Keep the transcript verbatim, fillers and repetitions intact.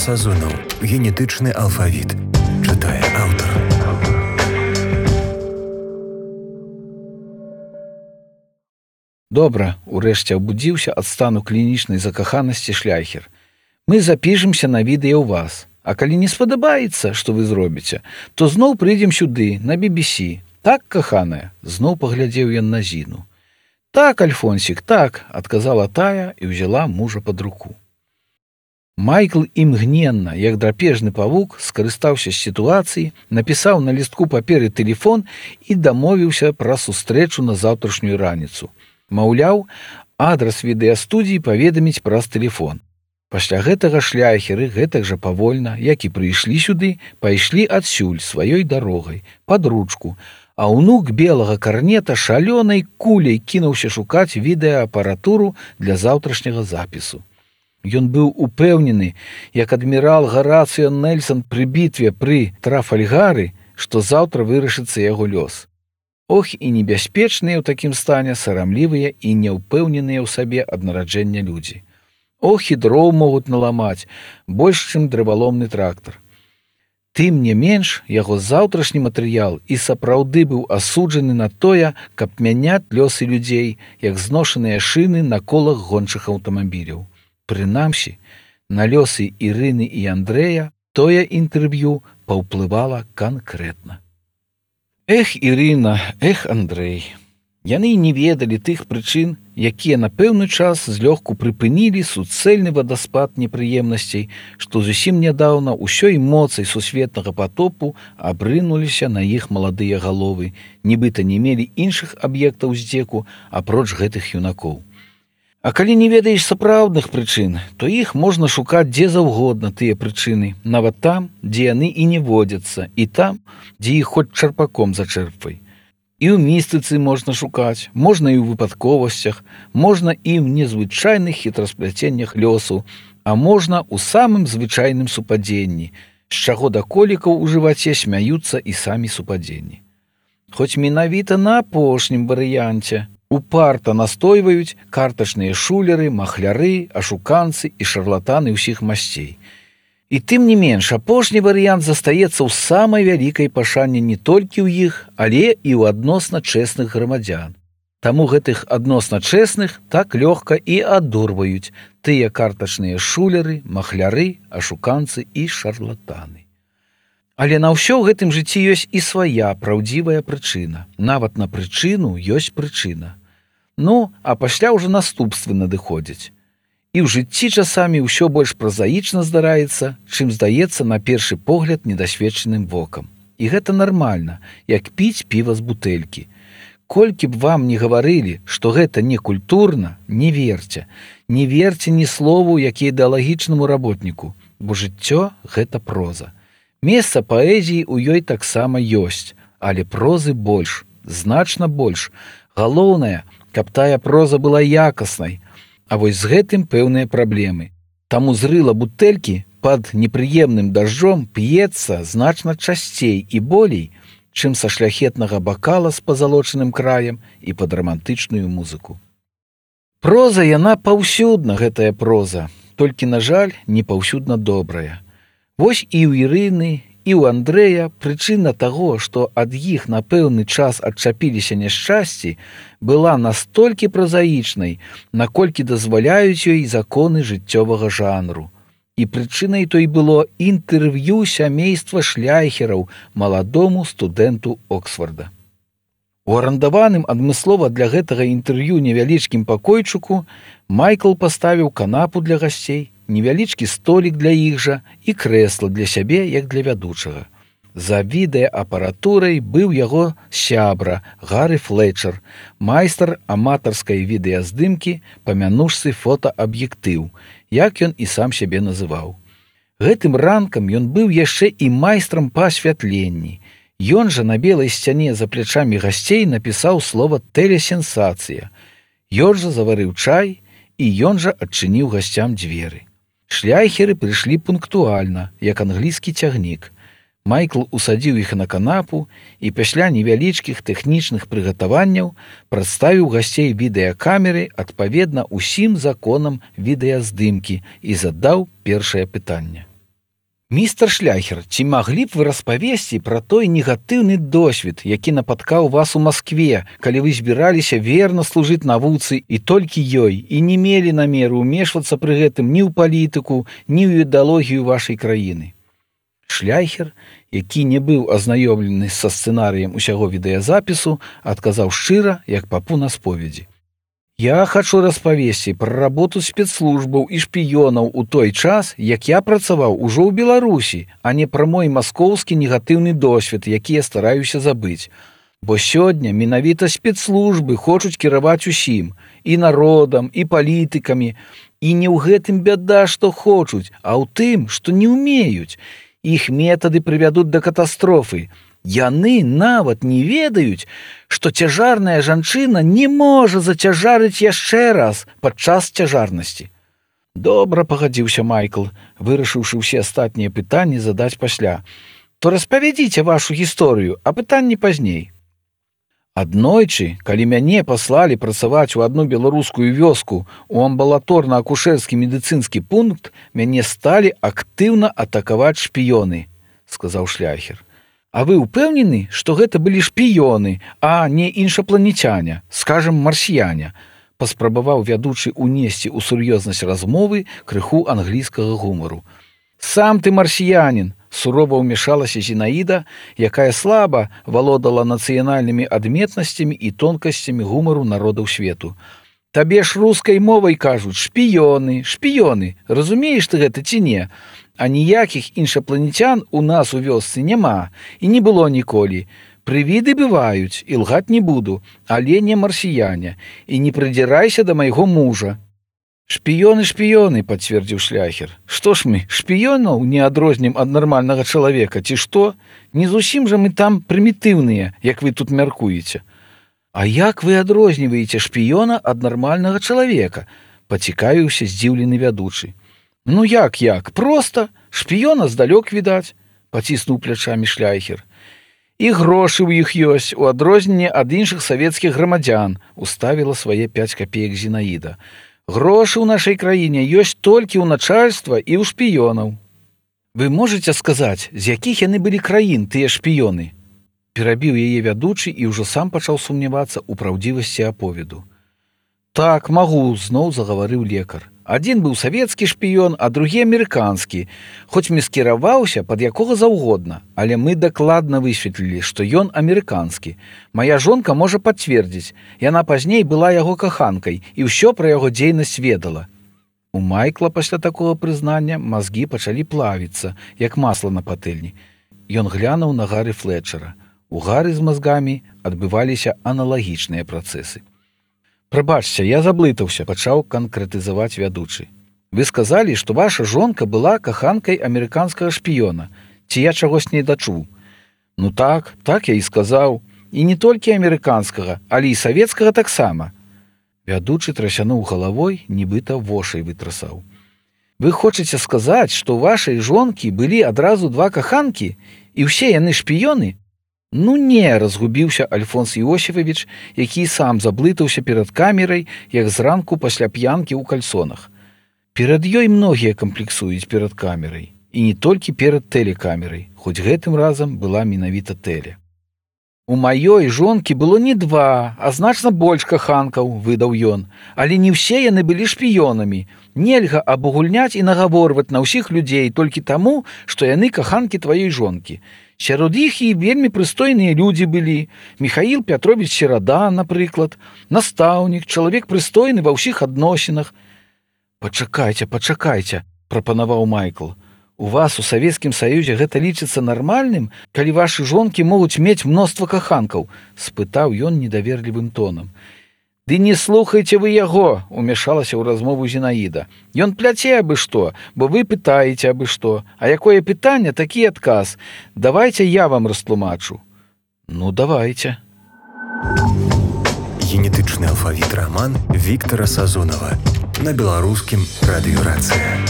Сазонаў. Генетычны алфавіт. Чытае аўтар. Добра, урэшце абудзіўся ад стану клінічнай закаханасці шляхер. Мы запішемся на відэа ў вас. А калі не спадабаецца, што вы зробіце, то зноў прыйдзем сюды, на би би сі. Так, каханая? Зноў паглядзеў ён на Зіну. Так, Альфонсік, так, адказала тая і ўзяла мужа пад руку. Майкл імгненна, як драпежны павук, скарыстаўся з сітуацыі, напісаў на лістку паперы тэлефон і дамовіўся пра сустрэчу на заўтрашнюю раніцу. Маўляў, адрас відэастудіі паведаміць праз тэлефон. Пасля гэтага шляхеры гэтак жа павольна, як і прыйшлі сюды, пайшлі адсюль сваёй дарогай, пад ручку, а ўнук белага карнета шалёнай куляй кінуўся шукаць відэаапаратуру для заўтрашняга запісу. Ён быў упэўнены, як адмірал Гарацыё Нельсон пры бітве пры Трафальгары, што заўтра вырашыцца яго лёс. Ох, і небяспечныя ў такім стане сарамлівыя і няўпэўненыя ў сабе ад нараджэння людзі. Ох, і дроў могуць наламаць, больш, чым дрываломны трактар. Тым не менш, яго заўтрашні матэрыял і сапраўды быў асуджаны на тое, каб мяняць лёсы людзей, як зношаныя шыны на колах гончых аўтамабіляў. Прынамсі, на лёсы Ірыны і Андрэя тое інтэрв'ю паўплывала канкрэтна. Эх, Ірына, эх, Андрэй. Яны не ведалі тых прычын, якія на пэўны час злёгку прыпынілі суцэльны вадаспад непрыемнасцей, што зусім нядаўна ўсёй моцай сусветнага патопу абрынуліся на іх маладыя галовы, нібыта не мелі іншых аб'ектаў здзеку апроч гэтых юнакоў. А калі не ведаеш сапраўдных прычын, то іх можна шукаць дзе заўгодна тыя прычыны, нават там, дзе яны і не водзяцца, і там, дзе іх хоць чарпаком зачэрпвай. І ў містыцы можна шукаць, можна і ў выпадковасцях, можна і ў незвычайных хітраспляценнях лёсу, а можна ў самым звычайным супадзенні, з чаго да колікаў у жываце смяюцца і самі супадзенні. Хоць менавіта на апошнім варыянце упарта настойваюць картачныя шулеры, махляры, ашуканцы і шарлатаны ўсіх масцей. І тым не менш, апошні варыянт застаецца ў самай вялікай пашане не толькі ў іх, але і ў адносна чэсных грамадзян. Таму гэтых адносна чэсных так лёгка і адурваюць тыя картачныя шулеры, махляры, ашуканцы і шарлатаны. Але на ўсё ў гэтым жыцці ёсць і свая праўдзівая прычына. Нават на прычыну ёсць прычына. Ну, а пасля ўжо наступствы надыходзяць. І ў жыцці часамі ўсё больш празаічна здараецца, чым здаецца на першы погляд недасведчаным вокам. І гэта нармальна, як піць піва з бутэлькі. Колькі б вам не гаварылі, што гэта не культурна, не верце. Не верце ні слову, як ідэалагічнаму работніку, бо жыццё – гэта проза. Месца паэзіі ў ёй таксама ёсць, але прозы больш, значна больш. Галоўнае, каб тая проза была якаснай. А вось з гэтым пэўныя праблемы. Таму зрыла бутэлькі пад непрыемным дажджом п'ецца значна часцей і болей, чым са шляхетнага бакала з пазалочаным краем і пад рамантычную музыку. Проза яна паўсюдна, гэтая проза, толькі, на жаль, не паўсюдна добрая. Вось і ў Ірыны, і ў Андрэя прычына таго, што ад іх на пэўны час адчапіліся няшчасці, была настолькі празаічнай, наколькі дазваляюць ёй законы жыццёвага жанру. І прычынай той было інтэрв'ю сямейства шляхераў маладому студэнту Оксфорда. У арандаваным адмыслова для гэтага інтэрв'ю невялічкім пакойчыку Майкл паставіў канапу для гасцей, невялічкі столік для іх жа і крэсла для сябе, як для вядучага. За відэаапаратурай быў яго сябра Гары Флетчер, майстар аматарскай відэаздымкі па мянушцы фотааб'ектыў, як ён і сам сябе называў. Гэтым ранкам ён быў яшчэ і майстрам па асвятленні. Ён жа на белай сцяне за плячамі гасцей напісаў слова «тэлесенсацыя». Ён жа заварыў чай, і ён жа адчыніў гасцям дзверы. Шляхеры прыйшлі пунктуальна, як англійскі цягнік. Майкл усадзіў іх на канапу і пасля невялічкіх тэхнічных прыгатаванняў прадставіў гасцей відэакамеры адпаведна ўсім законам відэаздымкі і задаў першае пытанне. Містер Шляхер, ці маглі б вы распавесці пра той негатыўны досвед, які напаткаў вас у Маскве, калі вы збіраліся верна служыць навуцы і толькі ёй, і не мелі намеру ўмешвацца пры гэтым ні ў палітыку, ні ў ідэалогію вашай краіны? Шляхер, які не быў азнаёмлены са сцэнарыем усяго відэазапісу, адказаў шчыра, як папу на споведзі. Я хачу распавесці пра работу спецслужбаў і шпіёнаў у той час, як я працаваў ужо ў Беларусі, а не пра мой маскоўскі негатыўны досвед, які я стараюся забыць. Бо сёння менавіта спецслужбы хочуць кіраваць усім, і народам, і палітыкамі, і не ў гэтым бяда, што хочуць, а ў тым, што не ўмеюць. Іх метады прывядуць да катастрофы. Яны нават не ведаюць, што цяжарная жанчына не можа зацяжарыць яшчэ раз падчас цяжарнасці. Добра, пагадзіўся Майкл, вырашыўшы ўсе астатнія пытанні задаць пасля. То распавядзіце вашу гісторыю, а пытанні пазней. Аднойчы, калі мяне паслалі працаваць у адну беларускую вёску у амбулаторна-акушэрскі медыцынскі пункт, мяне сталі актыўна атакаваць шпіёны, сказаў Шляхер. А вы ўпэўнены, што гэта былі шпіёны, а не іншапланецяне, скажам, марсіяне, паспрабаваў вядучы унесці ў сур'ёзнасць размовы крыху англійскага гумару. Сам ты марсіянін, сурова ўмешалася Зінаіда, якая слаба валодала нацыянальнымі адметнасцямі і тонкасцямі гумару народаў свету. Табе ж рускай мовай кажуць шпіёны, шпіёны, разумееш ты гэта ці не? А ніякіх іншапланецян у нас у вёсцы няма і не было ніколі. Прывіды бываюць, і лгаць не буду, але не марсіяне, і не прыдзірайся да майго мужа. Шпіёны, шпіёны, пацвердзіў Шляхер. Што ж мы, шпіёнаў не адрознім ад нармальнага чалавека, ці што? Не зусім жа мы там прымітыўныя, як вы тут мяркуеце. А як вы адрозніваеце шпіёна ад нармальнага чалавека? Пацікавіўся здзіўлены вядучы. Ну як, як? Проста. Шпіёна здалёк відаць, паціснуў плячамі Шляхер. І грошы ў іх ёсць, у адрозненне ад іншых савецкіх грамадзян, уставіла свае пяць капеек Зінаіда. Грошы ў нашай краіне ёсць толькі ў начальства і ў шпіёнаў. Вы можаце сказаць, з якіх яны былі краін, тыя шпіёны? Перабіў яе вядучы і ўжо сам пачаў сумнявацца ў праўдзівасці аповеду. Так, магу, зноў загаварыў лекар. Адзін быў савецкі шпіён, а другі амерыканскі, хоць маскіраваўся пад якога заўгодна, але мы дакладна высветлілі, што ён амерыканскі. Мая жонка можа пацвердзіць, яна пазней была яго каханкай і ўсё пра яго дзейнасць ведала. У Майкла пасля такога прызнання мазгі пачалі плавіцца, як масла на патэльні. Ён глянуў на Гары Флетчера. У Гары з мазгамі адбываліся аналагічныя працэсы. Прабачце, я заблытаўся, пачаў канкрэтызаваць вядучы. Вы сказалі, што ваша жонка была каханкай амерыканскага шпіёна. Ці я чагось не дачуў? Ну так, так я і сказаў. І не толькі амерыканскага, але і савецкага таксама. Вядучы трасянуў галавой, нібыта вошай вытрасаў. Вы хочаце сказаць, што ў вашай жонкі былі адразу два каханкі, і ўсе яны шпіёны? Ну не, разгубіўся Альфонс Іосіфавіч, які сам заблытаўся перад камерай, як зранку пасля п'янкі ў кальсонах. Перад ёй многія камплексуюць перад камерай, і не толькі перад тэлекамерай, хоць гэтым разам была менавіта тэле. У маёй жонкі было не два, а значна больш каханкаў, выдаў ён, але не ўсе яны былі шпіёнамі. Нельга абагульняць і нагаворваць на ўсіх людзей толькі таму, што яны каханкі тваёй жонкі. Сярод іх і вельмі прыстойныя людзі былі. Міхаіл Пятровіч Серада, напрыклад, настаўнік, чалавек прыстойны ва ўсіх адносінах. Пачакайце, пачакайце, прапанаваў Майкл. У вас у Савецкім Саюзе гэта лічыцца нармальным, калі вашы жонкі могуць мець мноства каханкаў? Спытаў ён недаверлівым тонам. Ды не слухайце вы яго, умешалася ў размову Зінаіда. Ён пляце абы што, бо вы пытаеце абы што. А якое пытанне, такі адказ. Давайце я вам растлумачу. Ну, давайце. Генетычны алфавіт раман Віктара Сазонава на беларускім радыёрацыі.